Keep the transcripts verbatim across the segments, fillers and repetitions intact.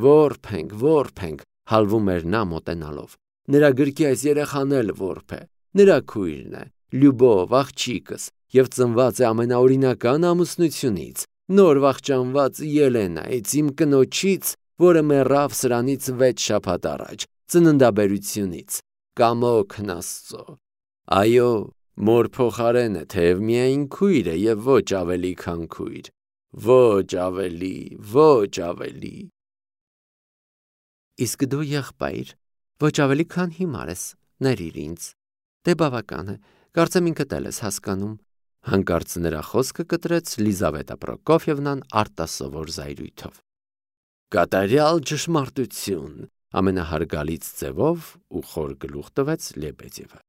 Որբ ենք, որբ ենք, հալվում էր նա մոտենալով։ Նրա գրկի այս երեխան էլ որբ է, նրա քույրն է, Լյուբով, աղջիկս, և ծնված է ամենաօրինական ամուսնությունից, նոր վախճանված Ելենայից, իմ կնոջից, որը մեռավ սրանից վեց շաբաթ առաջ, ծննդաբերությունից, կամոքն Աստծո։ Այո, մոր փոխարենը, թեև միայն քույր է և ոչ ավելի, քան քույր, ոչ ավելի, ոչ ավելի։ Իսկ դու եղբայր, ոչ ավելի, քան հիմար ես, ներիր ինձ։ Դե բավական է, կարծեմ ինքդ էլ ես հասկանում։ Հանկարծ նրա խոսքը կտրեց Լիզավետա Պրոկոֆյևնան արտասովոր զայրույթով։ Կատարյալ ճշմարտություն, ամենահարգալից ձևով ու խոր գլուխ տվեց Լեբեդևը։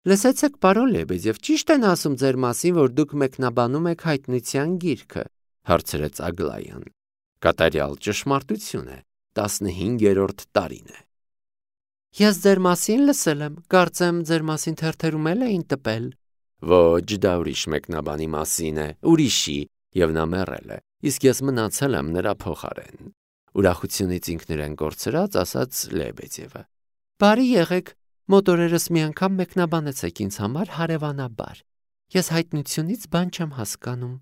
Լսեցեք, պարոն Լեբեդև, ճիշտ են ասում ձեր մասին, որ դուք մեկնաբանում եք հայտնության գիրքը, հարցրեց Ագլայան։ Կատարյալ ճշմարտություն է, տասնհինգերորդ տարին է։ Ես ձեր մասին լսել եմ, կարծեմ ձեր մասին թերթերում էլ էին տպել։ Ոչ, դա ուրիշ մեկնաբանի մասին է, ուրիշի, և նա մեռել է, իսկ ես մնացել եմ նրա փոխարեն։ Ուրախությունից ինքն իրեն կորցրած ասաց Լեբեդևը։ Բարի եղեք, մոտորերս մի անգամ մեկնաբանեցեք ինձ համար հարևանաբար։ Ես հայտնությունից բան չեմ հասկանում։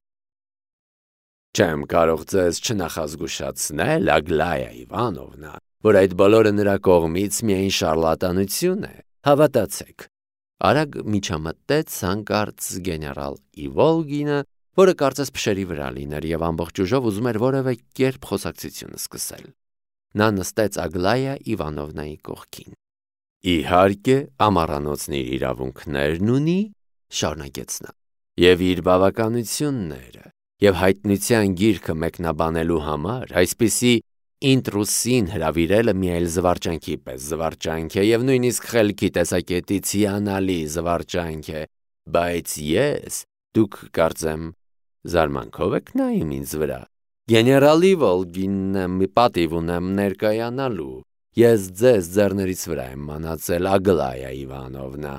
Չեմ կարող ձեզ չնախազգուշացնել, Ագլայա Իվանովնա, որ այդ բոլորը նրա կողմից միայն շարլատանություն է, հավատացեք։ Արագ միջամտեց հանկարծ գեներալ Իվոլգինը, որը կարծես փշերի վրա լիներ և ամբողջ ուժով ուզում էր որևէ կերպ խոսակցությունը սկսել։ Նա նստեց Ագլայա Իվանովնայի կողքին։ Իհարկե, ամառանոցն իր իրավունքներն ունի, շարունակեց նա, և իր բավականությունները, և հայտնության գիրքը մեկնաբանելու համար այսպիսի ինտրուսին հրավիրելը մի այլ զվարճանքի պես զվարճանք է և նույնիսկ խելքի տեսակետից հիանալի զվարճանք է, բայց ես, դուք կարծեմ, զարմանքով եք նայում ինձ վրա, գեներալ Իվոլգինն եմ, պատիվ ունեմ ներկայանալու, ես ձեզ ձեռներից վրա եմ մանածել, Ագլայա Իվանովնա։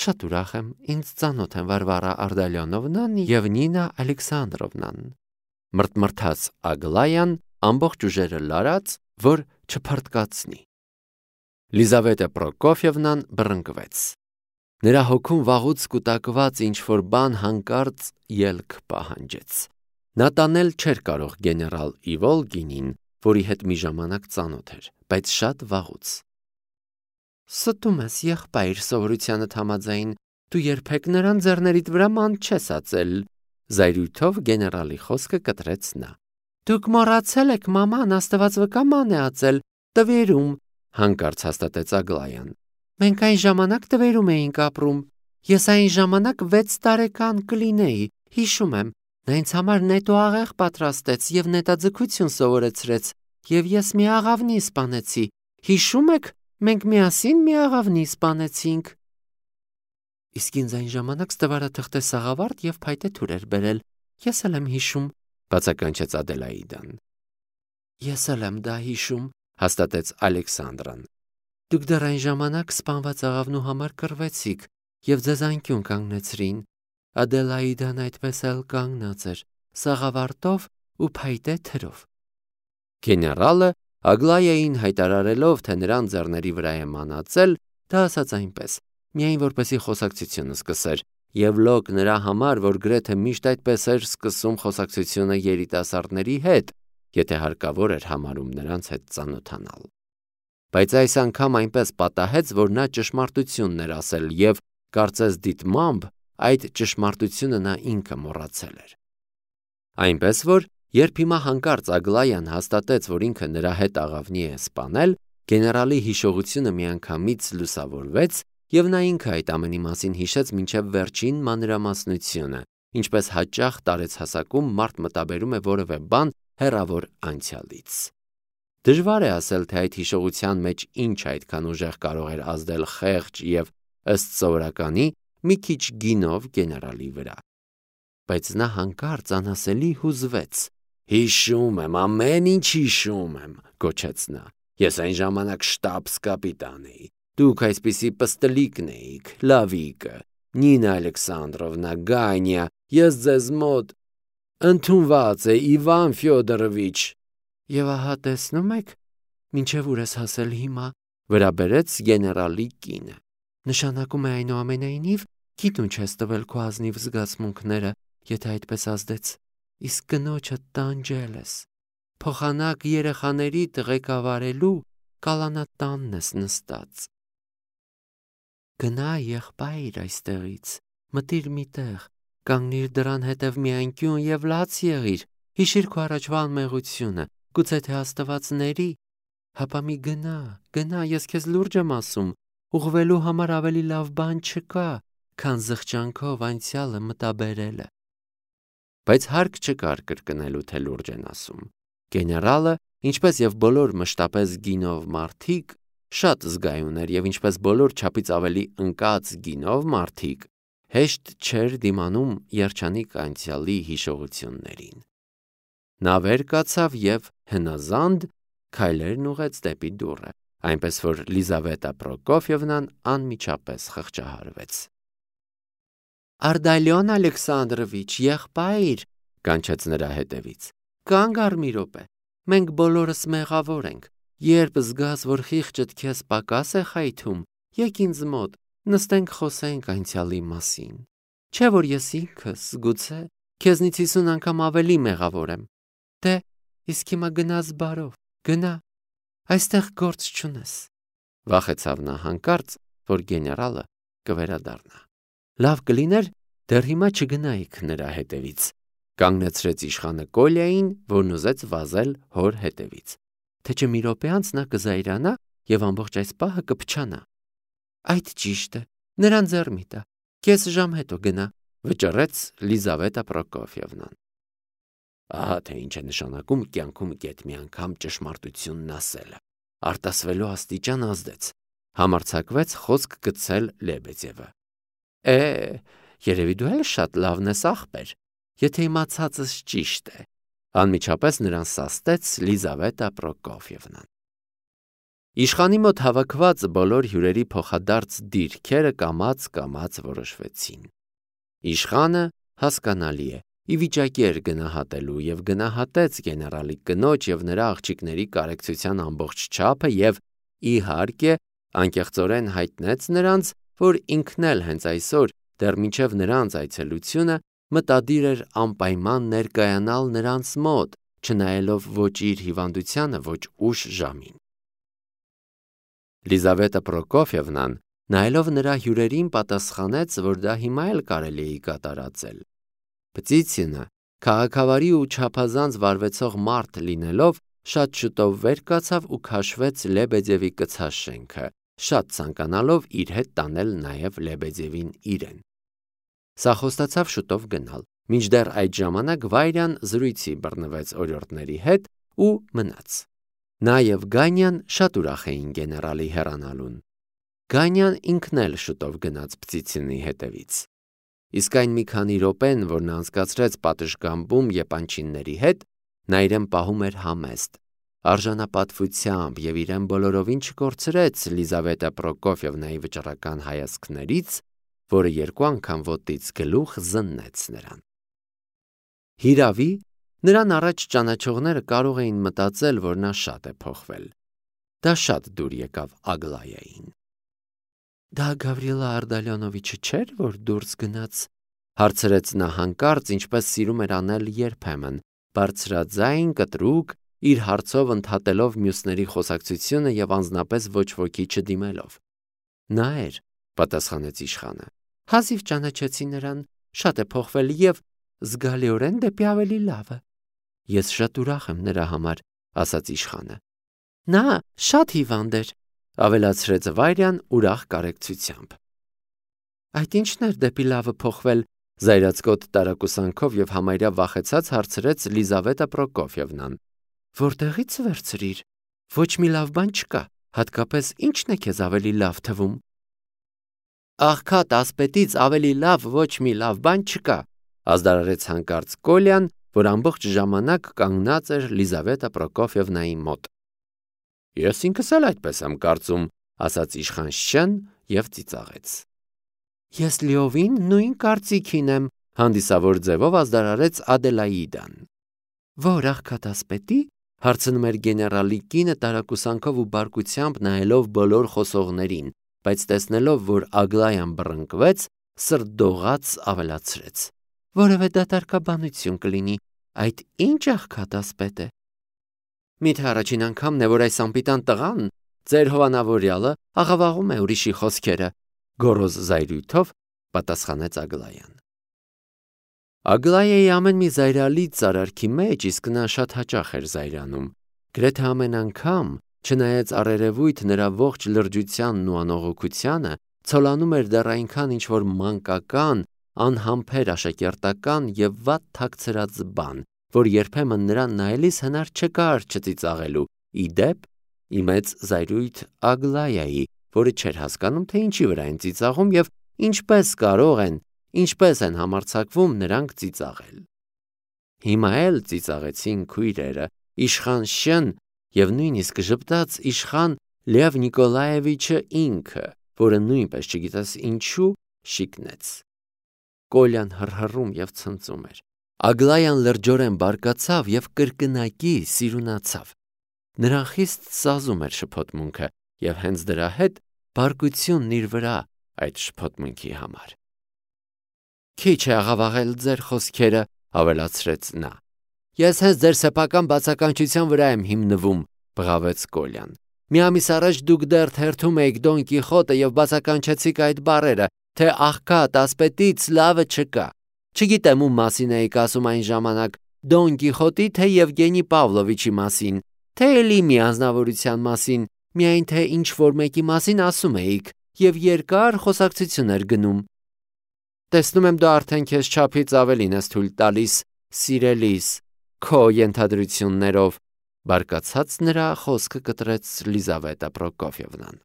Շատ ուրախ եմ, ինձ ծանոթ են Վարվարա Արդալյոնովնան և Նինա Ալեքսանդրովնան, մրթմրթաց Ագլայան, ամբողջ ուժերը լարած, որ չփռթկացնի։ Լիզավետա Պրոկոֆյևնան բռնկվեց։ Նրա հոգում վաղուց կուտակված ինչ-որ բան հանկարծ ելք պահանջեց։ Նա տանել չէր կարող գեներալ Իվոլգինին, որի հետ մի ժամանակ ծանոթ էր, բայց շատ վաղուց։ Ստում ես, եղբայր, սովորությանդ համաձայն, դու երբեք նրան ձեռներիդ վրա ման չես ածել, զայրույթով գեներալի խոսքը կտրեց նա։ Դուք մոռացել եք, մաման, Աստված վկա, ման է ածել, տվերում, հանկարծ հաստատեց Ագլայան։ Մենք այն ժամանակ տվերում էինք ապրում։ Ես այն ժամանակ վեց տարեկան կլինեի, հիշում եմ, նա ինձ համար նետո աղեղ պատրաստեց և նետաձգություն սովորեցրեց, և ես մի աղավնի սպանեցի, հիշում եք, մենք միասին մի աղավնի սպանեցինք։ Իսկ ինձ այն ժամանակ ստվարաթղթե սաղավարտ և փայտե թուր էր բերել, ես էլ եմ հիշում, բացականչեց Ադելաիդան։ Ես էլ եմ դա հիշում, հաստատեց Ալեքսանդրան։ Դուք դեռ այն ժամանակ սպանված աղավնու համար կռվեցիք և ձեզ անկյուն կանգնեցրին։ Ադելաիդան այդպես էլ կանգնած էր, սաղավարտով ու փայտե թրով։ Գեներալը Ագլայային հայտարարելով, թե նրան ձեռների վրա է մանածել, դա ասաց այնպես, միայն որպեսի խոսակցությունը սկսեր, և լոկ նրա համար, որ գրեթե միշտ այդպես էր սկսում խոսակցությունը երիտասարդների հետ, եթե հարկավոր էր համարում նրանց հետ ծանոթանալ։ Բայց այս անգամ այնպես պատահեց, որ նա ճշմարտությունն էր ասել և, կարծես դիտմամբ, այդ ճշմարտությունը նա ինքը մոռացել էր։ Այնպես որ, երբ հիմա հանկարծ Ագլայան հաստատեց, որ ինքը նրա հետ աղավնի է սպանել, գեներալի հիշողությունը միանգամից լուսավորվեց, և նա ինքը այդ ամենի մասին հիշեց մինչև վերջին մանրամասնությունը, ինչպես հաճախ տարեցհասակում մարդ մտաբերում է որևէ բան հեռավոր անցյալից։ Դժվար է ասել, թե այդ հիշողության մեջ ինչ այդքան ուժեղ կարող էր ազդել խեղճ և ըստ սովորականի մի քիչ գինով գեներալի վրա։ Բայց նա հանկարծ անասելի հուզվեց։ Հիշում եմ, ամեն ինչ հիշում եմ, գոչեց նա։ Ես այն ժամանակ շտաբս կապիտան էի։ Դուք այսպիսի պստլիկն էիք, Լավիկը, Նինա Ալեքսանդրովնա, Գանյա, ես ձեզ մոտ ընդունված է Իվան Ֆյոդորովիչ։ Եվ ահա տեսնում եք, մինչև ուր ես հասել հիմա, վրա բերեց գեներալի կինը։ Նշանակում է այնուամենայնիվ, գիտուն չես տվել քո ազնիվ զգացմունքները, եթե այդպես ազդեց, իսկ կնոջը տանջել ես։ Փոխանակ երեխաների ղեկավարելու կալանատանն ես նստած։ Գնա եղբայր այստեղից, մտիր մի տեղ, կանգնիր դռան հետև մի անկյուն և լաց եղիր, հիշիր քո առաջվա անմեղությունը, գուցե թե աստվածների, հապա մի գնա, գնա, ես քեզ լուրջ եմ ասում, ուղղվելու համար ավելի լավ բան չկա, քան զղջանքով անցյալը մտաբերելը։ Բայց հարկ չկար կրկնելու, թե լուրջ են ասում։ Գեներալը, ինչպես և բոլոր մշտապես գինով մարդիկ, շատ զգայուն էր և ինչպես բոլոր չափից ավելի ընկած գինով մարդիկ, հեշտ չէր դիմանում երջանիկ անցյալի հիշողություններին։ Նա վեր կացավ և հնազանդ քայլերն ուղղեց դեպի դուռը, այնպես որ Լիզավետա Պրոկոֆիևնան անմիջապես խղճահարվեց։ Արդալիոն Ալեքսանդրովիչ, եղբայր, կանչեց նրա հետևից, կանգ առ մի րոպե, մենք բոլորս մեղավոր ենք, երբ զգաս, որ խիղճդ քեզ պակաս է խայթում, եկ ինձ մոտ, նստենք խոսենք անցյալի մասին, չէ որ ես ինքս, գուցե, քեզնից հիսուն անգամ ավելի մեղավոր եմ, դե, իսկ հիմա գնաս բարով, գնա, այստեղ գործ չունես։ Վախեցավ նա հանկարծ, որ գեներալը կվերադառնա։ Լավ կլիներ, դեռ հիմա չգնայիք նրա հետևից, կանգնեցրեց իշխանը Կոլյային, որն ուզեց վազել հոր հետևից, թե չէ մի րոպե անց նա կզայրանա և ամբողջ այս պահը կփչանա։ Այդ ճիշտ է, նրան ձեռ մի տա, կես ժամ հետո գնա, վճռեց Լիզավետա Պրոկոֆիևնան։ Ահա թե ինչ է նշանակում կյանքում գեթ մի անգամ ճշմարտությունն ասելը, արտասվելու աստիճան ազդեց, համարձակվեց խոսք գցել Լեբեդևը։ Է, երևի դու էլ շատ լավն ես ախպեր, եթե իմացածս ճիշտ է, անմիջապես նրան սաստեց Լիզավետա Պրոկոֆիևնան։ Իշխանի մոտ հավաքված բոլոր հյուրերի փոխադարձ դիրքերը կամաց-կամաց որոշվեցին։ Իշխանը, հասկանալի է, ի վիճակի էր գնահատելու և գնահատեց գեներալի կնոջ և նրա աղջիկների կարեկցության ամբողջ չափը և, իհարկե, անկեղծորեն հայտնեց նրանց, որ ինքն էլ հենց այսօր, դեռ մինչև նրանց այցելությունը, մտադիր էր անպայման ներկայանալ նրանց մոտ, չնայելով ոչ իր հիվանդությանը, ոչ ուշ ժամին։ Լիզավետա Պրոկոֆիևնան, նայելով նրա հյուրերին, պատասխանեց, որ դա հիմա էլ կարելի է կատարածել։ Պտիցինը, քաղաքավարի ու չափազանց վարվեցող մարդ լինելով, շատ շուտով վեր կացավ ու քաշվեց Լեբեդևի կցած շենքը, շատ ցանկանալով իր հետ տանել նաև Լեբեդևին իրեն։ Սա խոստացավ շուտով գնալ, մինչդեռ այդ ժամանակ Վայրյան զրույցի բռնվեց օրիորդների հետ ու մնաց։ Նա և Գանյան շատ ուրախ էին գեներալի հեռանալուն։ Գանյան ինքն էլ շուտով գնաց Պտիցինի հետևից։ Իսկ այն մի քանի րոպեն, որ նա անցկացրեց պատշգամբում եպանչինների հետ, նա իրեն պահում էր համեստ, արժանապատվությամբ և իրեն բոլորովին չկորցրեց Լիզավետա Պրոկոֆիևնայի վճռական հայացքներից, որը երկու անգամ ոտից գլուխ զննեց նրան։ Հիրավի, նրան առաջ ճանաչողները կարող էին մտածել, որ նա շատ է փոխվել։ Դա շատ դուր եկավ Ագլայային։ Դա Գավրիլա Արդալիոնովիչը չէր, որ դուրս գնաց, հարցրեց նա հանկարծ, ինչպես սիրում էր անել երբեմն, բարձրաձայն, կտրուկ, իր հարցով ընդհատելով մյուսների խոսակցությունը և անձնապես ոչ ոքի չդիմելով։ Նա էր, պատասխանեց իշխանը։ Հազիվ ճանաչեցի նրան, շատ է փոխվել և զգալիորեն դեպի ավելի լավը։ Ես շատ ուրախ եմ նրա համար, ասաց իշխանը։ Նա շատ հիվանդ էր, ավելացրեց Վայրյան ուրախ կարեկցությամբ։ Այդ ի՞նչն էր դեպի լավը փոխվել, զայրացկոտ տարակուսանքով և համարյա վախեցած հարցրեց Լիզավետա Պրոկոֆիևնան։ Որտեղից վերցրիր։ Ոչ մի լավ բան չկա, հատկապես ի՞նչն է քեզ ավելի լավ թվում։ Աղքատ ասպետից ավելի լավ ոչ մի լավ բան չկա, ազդարարեց հանկարծ Կոլյան, որ ամբողջ ժամանակ կանգնած էր Լիզավետա Պրոկոֆիևնայի մոտ։ Ես ինքս էլ այդպես եմ կարծում, ասաց իշխան Շեն և ծիծաղեց։ Ես լիովին նույն կարծիքին եմ, հանդիսավոր ձևով ազդարարեց Ադելաիդան։ Որ աղքատ ասպետի, Հարցնում էր գեներալի կինը տարակուսանքով ու բարկությամբ նայելով բոլոր խոսողներին, բայց տեսնելով, որ Ագլայան բռնկվեց, սրտդողաց ավելացրեց. «Որևէ դատարկաբանություն կլինի, այդ ինչ աղքատասպետ է»։ Միթե առաջին անգամն է, որ այս անպիտան տղան, ձեր հովանավորյալը, աղավաղում է ուրիշի խոսքերը, գոռոզ զայրույթով պատասխանեց Ագլայան։ Ագլայայի ամեն մի զայրալից արարքի մեջ իսկ նա շատ հաճախ էր զայրանում, գրեթե ամեն անգամ, չնայած առերևույթ նրա ողջ լրջությանն ու անողոքությանը, ցոլանում էր դեռ այնքան ինչ-որ մանկական, անհամբեր աշակերտական և վատ թաքցրած բան, որ երբեմն նրան նայելիս հնար չկար չծիծաղելու, ի դեպ, ի մեծ զայրույթ Ագլայայի, որը չէր հասկանում, թե ինչի վրա են ծիծաղում և ինչպես կարող են, ինչպես են համարձակվում նրանք ծիծաղել։ Հիմա էլ ծիծաղեցին քույրերը, իշխան Շն և նույնիսկ ժպտաց իշխան Լև Նիկոլաևիչը ինքը, որը նույնպես չգիտես ինչու շիկնեց։ Կոլյան հռհռում և ցնծում էր։ Ագլայան լրջորեն բարկացավ և կրկնակի սիրունացավ։ Նրան խիստ սազում էր շփոթմունքը և հենց դրա հետ բարկությունն իր վրա այդ շփոթմունքի համար։ Քիչ է աղավաղել ձեր խոսքերը, ավելացրեց նա։ Ես հենց ձեր սեփական բացականչության վրա եմ հիմնվում, բղավեց Կոլյան։ Մի ամիս առաջ դուք դեռ թերթում էիք Դոն Կիխոտը և բացականչեցիք այդ բառերը, թե աղքատ ասպետից լավը չկա։ Չգիտեմ ում մասին էիք ասում այն ժամանակ, Դոն Կիխոտի, թե Եվգենի Պավլովիչի մասին, թե էլի մի անձնավորության մասին, միայն թե ինչ-որ մեկի մասին ասում էիք և երկար խոսակցություն էր գնում։ Տեսնում եմ, դու արդեն քեզ չափից ավելին ես թույլ տալիս, սիրելիս, քո ենթադրություններով, բարկացած նրա խոսքը կտրեց Լիզավետա Պրոկոֆյևնան։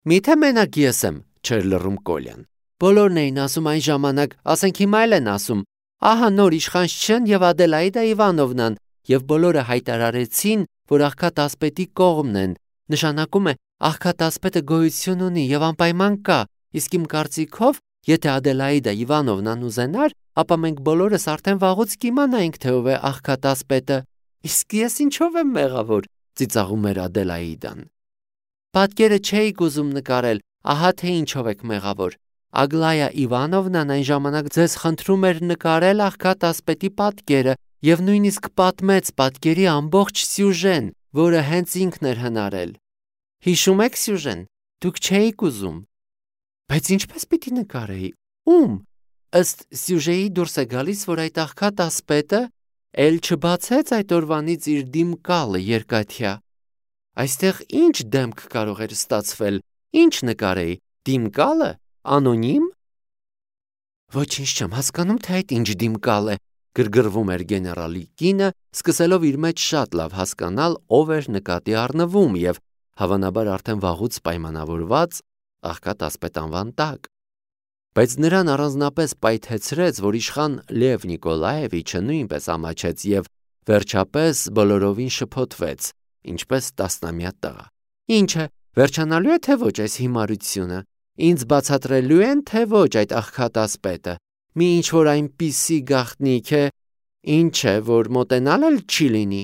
Միթե մենակ ես եմ, չէր լռում Կոլյան։ Բոլորն էին ասում այն ժամանակ, ասենք հիմա էլ են ասում, ահա նոր իշխան Շչեն և Ադելաիդա Իվանովնան, և բոլորը հայտարարեցին, որ աղքատ ասպետի կողմն են, նշանակում է աղքատ ասպետը գոյություն ունի և անպայման կա, իսկ իմ կարծիքով, եթե Ադելաիդա Իվանովնան ուզենար, ապա մենք բոլորս արդեն վաղուց կիմանայինք, թե ով է աղքատ ասպետը։ Իսկ ես ինչով եմ մեղավոր, ծիծաղում էր Ադելաիդան։ Պատկերը չէիք ուզում նկարել, ահա թե ինչով եք մեղավոր։ Ագլայա Իվանովնան այն ժամանակ ձեզ խնդրում էր նկարել աղքատ ասպետի պատկերը և նույնիսկ պատմեց պատկերի ամբողջ սյուժեն, որը հենց ինքն էր հնարել։ Հիշում եք սյուժեն, դուք չէիք ուզում։ Բայց ինչպես պիտի նկարեի, ում։ Ըստ սյուժեի դուրս է գալիս, որ այդ աղքատ ասպետը էլ չբացեց այդ օրվանից իր դիմկալը երկաթյա։ Այստեղ ինչ դեմք կարող էր ստացվել, ինչ նկարեի, դիմկալը, անոնիմ։ Ոչինչ չեմ հասկանում, թե այդ ինչ դիմկալ է, գրգռվում էր գեներալի կինը, սկսելով իր մեջ շատ լավ հասկանալ, ով էր նկատի առնվում և, հավանաբար արդեն վաղուց պայմանավորված, աղքատ ասպետ անվան տակ։ Բայց նրան առանձնապես պայթեցրեց, որ իշխան Լև Նիկոլաևիչը նույնպես ամաչեց և վերջապես բոլորովին շփոթվեց, ինչպես տասնամյա տղա։ Ինչ է, վերջանալու է թե ոչ այս հիմարությունը, ինձ բացատրելու են թե ոչ այդ աղքատ ասպետը, մի ինչ-որ այնպիսի գաղտնիք է, ինչ է, որ մոտենալ էլ չի լինի։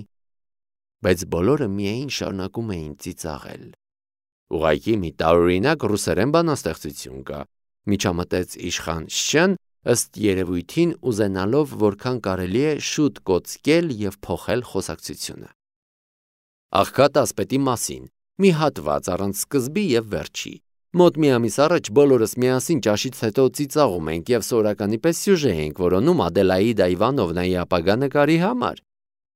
Բայց բոլորը միայն շարունակում էին ծիծաղել։ Ուղղակի մի տարօրինակ ռուսերեն բանաստեղծություն կա, միջամտեց իշխան Շչեն, ըստ երևույթին ուզենալով որքան կարելի է շուտ կոծկել և փոխել խոսակցությունը։ Աղքատ ասպետի մասին, մի հատված առանց սկզբի և վերջի։ Մոտ մի ամիս առաջ բոլորս միասին ճաշից հետո ծիծաղում ենք և սովորականի պես սյուժե ենք որոնում Ադելաիդա Իվանովնայի ապագա նկարի համար։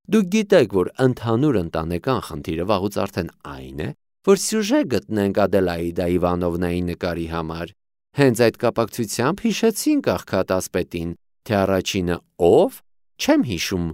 Դուք գիտեք, որ ընդհանուր ընտանեկան խնդիրը վաղուց արդեն այն է, որ սյուժե գտնենք Ադելաիդա Իվանովնայի նկարի համար։ Հենց այդ կապակցությամբ հիշեցինք աղքատ ասպետին, թե առաջինը ով, չեմ հիշում։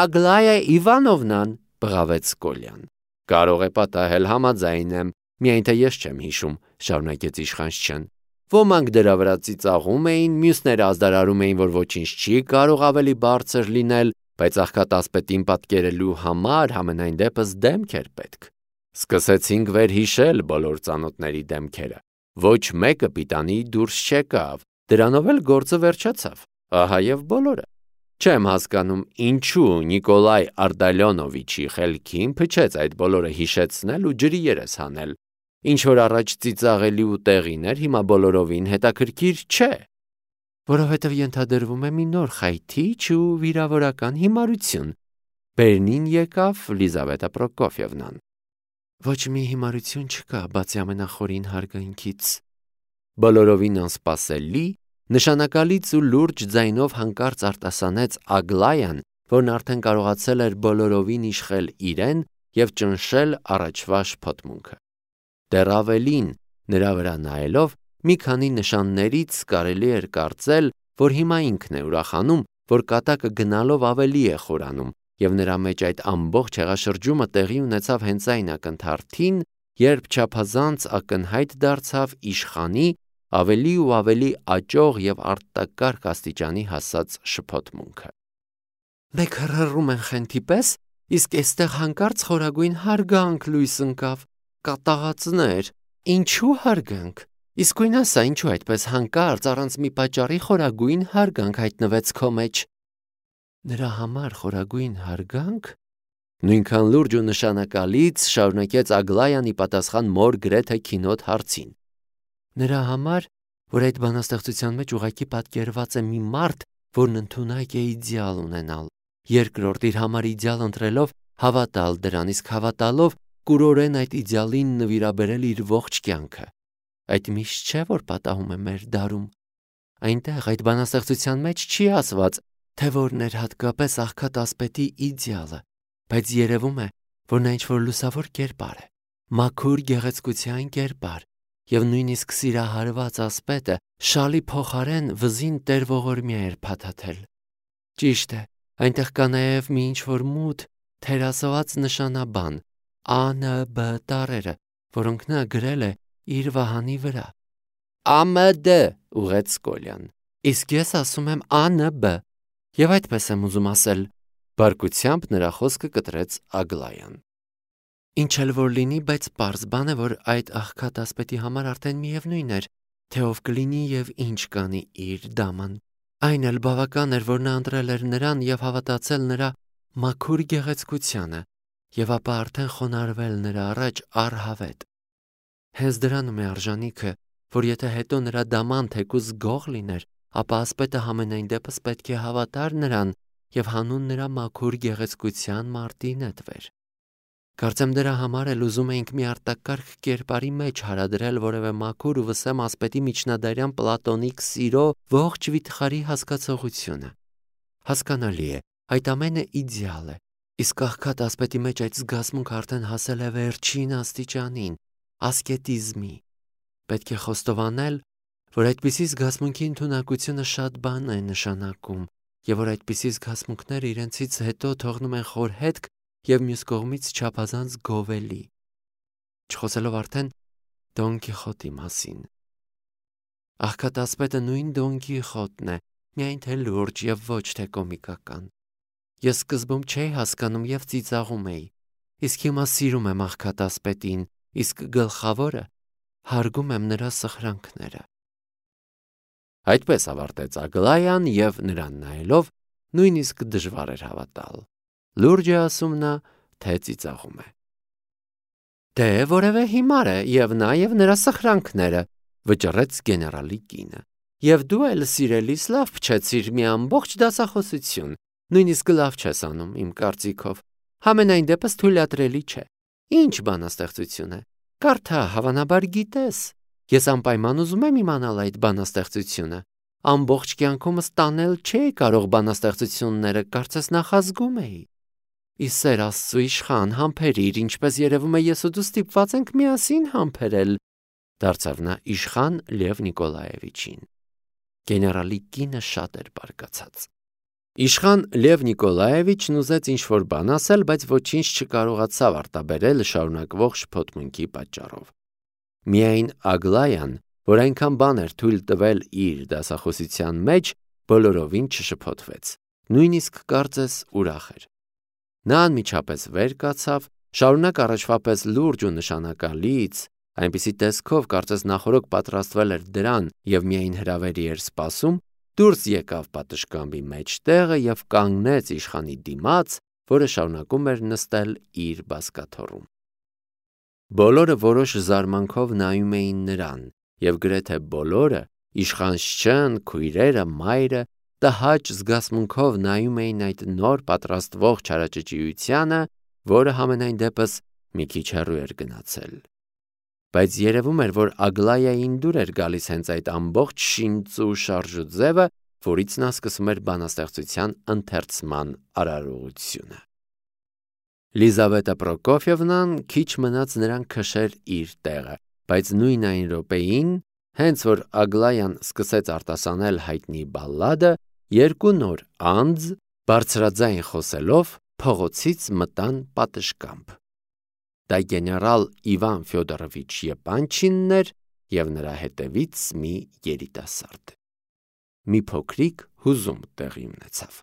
Ագլայա Իվանովնան, բղավեց Կոլյան։ Կարող է պատահել, համաձայն եմ, միայն թե ես չեմ հիշում, շարունակեց իշխան Շչեն։ Ոմանք դրա վրա ծիծաղում էին, մյուսները ազդարարում էին, որ ոչինչ չի կարող ավելի բարձր լինել, բայց աղքատ ասպետին պատկերելու համար համենայն դեպս դեմք էր պետք։ Սկսեցինք վերհիշել բոլոր ծանոթների դեմքերը։ Ոչ մեկը պիտանի դուրս չեկավ, դրանով էլ գործը վերջացավ, ահա և բոլորը։ Չեմ հասկանում, ինչու Նիկոլայ Արդալյոնովիչի խելքին փչեց այդ բոլորը հիշեցնել ու ջրի երես հանել։ Ինչ որ առաջ ծիծաղելի ու տեղին էր, հիմա բոլորովին հետաքրքիր չէ։ Որովհետև ենթադրվում է մի նոր խայթիչ ու վիրավորական հիմարություն։ Բերնին եկավ Լիզավետա Պրոկոֆիևնան։ Ոչ մի հիմարություն չկա, բացի ամենախորին հարգանքից։ Բոլորովին անսպասելի, նշանակալից ու լուրջ ձայնով հանկարծ արտասանեց Ագլայան, որն արդեն կարողացել էր բոլորովին իշխել իրեն և ճնշել առաջվա շփոթմունքը։ Դեռ ավելին, նրա վրա նայելով, մի քանի նշաններից կարելի էր կարծել, որ հիմա ինքն է ուրախանում, որ կատակը գնալով ավելի է խորանում, և նրա մեջ այդ ամբողջ հեղաշրջումը տեղի ունեցավ հենց այն ակնթարթին, երբ չափազանց ակնհայտ դարձավ իշխանի ավելի ու ավելի աճող և արտակարգ աստիճանի հասած շփոթմունքը։ Մեկ հռհռում են խենթի պես, իսկ էստեղ հանկարծ խորագույն հարգանք լույս ընկավ, կատաղածներ, ինչու հարգանք, իսկույն ասա, ինչու այդպես հանկարծ առանց մի պատճառի խորագույն հարգանք հայտնվեց քո մեջ։ Նրա համար խորագույն հարգանք։ Նույնքան լուրջ ու նշանակալից շարունակեց Ագլայան ի պատասխան մոր գրեթե քինոտ հարցին։ Նրա համար, որ այդ բանաստեղծության մեջ ուղղակի պատկերված է մի մարդ, որն ընդունակ է իդեալ ունենալ, երկրորդ իր համար իդեալ ընտրելով հավատալ դրան, իսկ հավատալով կուրորեն այդ իդեալին նվիրաբերել իր ողջ կյանքը։ Այդ միշտ չէ, որ պատահում է մեր դարում։ Այնտեղ այդ բանաստեղծության մեջ չի ասված, թե որն էր հատկապես աղքատասպետի իդեալը, բայց երևում է, որ նա ինչ-որ լուսավոր կերպար է, մաքուր գեղեցկության կերպար, և նույնիսկ սիրահարված ասպետը շալի փոխարեն վզին տեր-ողորմյա էր փաթաթել։ Ճիշտ է, այնտեղ կա նաև մի ինչ-որ մութ, թերասված նշանաբան, Ա Ն B տառերը, որոնք նա գրել է իր վահանի վրա։ Ա M D ուղեց Կոլյան։ Իսկ ես ասում եմ Ա Ն B, և այդպես եմ ուզում ասել, բարկությամբ նրա խոսքը կտրեց Ագլայան։ Ինչ էլ որ լինի, բայց պարզ բան է, որ այդ աղքատասպետի համար արդեն միևնույն էր, թե ով կլինի և ինչ կանի իր դաման։ Այն էլ բավական էր, որ նա ընտրել էր նրան և հավատացել նրա մաքուր գեղեցկությանը, և ապա արդեն խոնարհվել նրա առաջ առհավետ։ Հենց դրանում է արժանիքը, որ եթե հետո նրա դաման թեկուզ գող լիներ, ապա ասպետը համենայն դեպս պետք է հավատար նրան և հանուն նրա մաքուր գեղեցկության մարտի նետվեր։ Կարծեմ դրա համար էլ ուզում էինք մի արտակարգ կերպարի մեջ հարադրել որևէ մաքուր ու վսեմ ասպետի միջնադարյան պլատոնիկ սիրո ողջ վիթխարի հասկացողությունը։ Հասկանալի է, այդ ամենը իդեալ է, իսկ աղքատ ասպետի մեջ այդ զգացմունքը արդեն հասել է վերջին աստիճանին, ասկետիզմի։ Պետք է խոստովանել, որ այդպիսի զգացմունքի ընդունակությունը շատ բան է նշանակում, և որ այդպիսի զգացմունքները իրենցից հետո թողնում են խոր հետք և մյուս կողմից չափազանց գովելի։ Չխոսելով արդեն Դոն Կիխոտի մասին։ Աղքատ ասպետը նույն Դոն Կիխոտն է, միայն թե լուրջ և ոչ թե կոմիկական։ Ես սկզբում չէի հասկանում և ծիծաղում էի, իսկ հիմա սիրում եմ աղքատ ասպետին, իսկ գլխավորը հարգում եմ նրա սխրանքները։ Այդպես ավարտեց Ագլայան և նրան նայելով նույնիսկ դժվար էր հավատալ։ Լուրջ է ասում նա, թե ծիծաղում է։ Դե որևէ հիմար է և նա և նրա սխրանքները, վճռեց գեներալի կինը։ Եվ դու էլ սիրելիս լավ փչեցիր մի ամբողջ դասախոսություն, նույնիսկ լավ չես անում իմ կարծիքով, համենայն դեպս թույլատրելի չէ։ Ինչ բանաստեղծություն է։ Կարդա, հավանաբար գիտես։ Ես անպայման ուզում եմ իմանալ այդ բանաստեղծությունը։ Ամբողջ կյանքումս տանել չէի կարող բանաստեղծությունները, կարծես նախազգում էի։ Ի սեր Աստծու իշխան, համբերիր, ինչպես երևում է ես ու դու ստիպված ենք միասին համբերել, դարձավ նա իշխան Լև Նիկոլաևիչին։ Գեներալի կինը շատ էր բարկացած։ Իշխան Լև Նիկոլաևիչն ուզեց ինչ-որ բան ասել, բայց ոչինչ չկարողացավ արտաբերել շարունակվող շփոթմունքի պատճառով։ Միայն Ագլայան, որ այնքան բան էր թույլ տվել իր դասախոսության մեջ, բոլորովին չշփոթվեց, նույնիսկ կարծես ուրախ էր։ Նա անմիջապես վեր կացավ, շարունակ առաջվա պես լուրջ ու նշանակալից, այնպիսի տեսքով կարծես նախօրոք պատրաստվել էր դրան և միայն հրավերի էր սպասում, դուրս եկավ պատշգամբի մեջտեղը և կանգնեց իշխանի դիմաց, որը շարունակում էր նստել իր բազկաթոռում։ Բոլորը որոշ զարմանքով նայում էին նրան, և գրեթե բոլորը, իշխանչն, քույրերը, մայրը, տհաճ զգացմունքով նայում էին այդ նոր պատրաստվող չարաճճիությանը, որը համենայն դեպս մի քիչ հեռու էր գնացել։ Բայց երևում էր, որ Ագլայային դուր էր գալիս հենց այդ ամբողջ շինծու շարժու ձևը, որից նա սկսում էր բանաստեղծության ընթերցման արարողությունը։ Լիզավետա Պրոկոֆիևնան քիչ մնաց նրան քշեր իր տեղը, բայց նույն այն րոպեին, հենց որ Ագլայան սկսեց արտասանել հայտնի բալլադը, երկու նոր անձ, բարձրաձայն խոսելով, փողոցից մտան պատշգամբ։ Դա գեներալ Իվան Ֆյոդորովիչ Եպանչինն էր և նրա հետևից մի երիտասարդ։ Մի փոքրիկ հուզում տեղի ունեցավ։